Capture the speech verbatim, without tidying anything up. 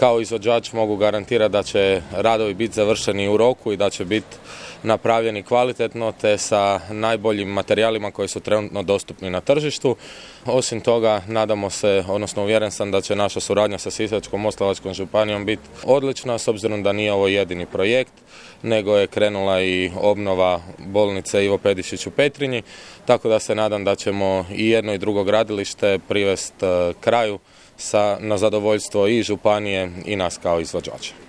Kao izvođač mogu garantirati da će radovi biti završeni u roku i da će biti napravljeni kvalitetno te sa najboljim materijalima koji su trenutno dostupni na tržištu. Osim toga, nadamo se, odnosno uvjeren sam da će naša suradnja sa Sisačko-moslavačkom županijom biti odlična, s obzirom da nije ovo jedini projekt, nego je krenula i obnova bolnice Ivo Pedišić u Petrinji, tako da se nadam da ćemo i jedno i drugo gradilište privesti kraju sa, na zadovoljstvo i županije i nas kao izvođača.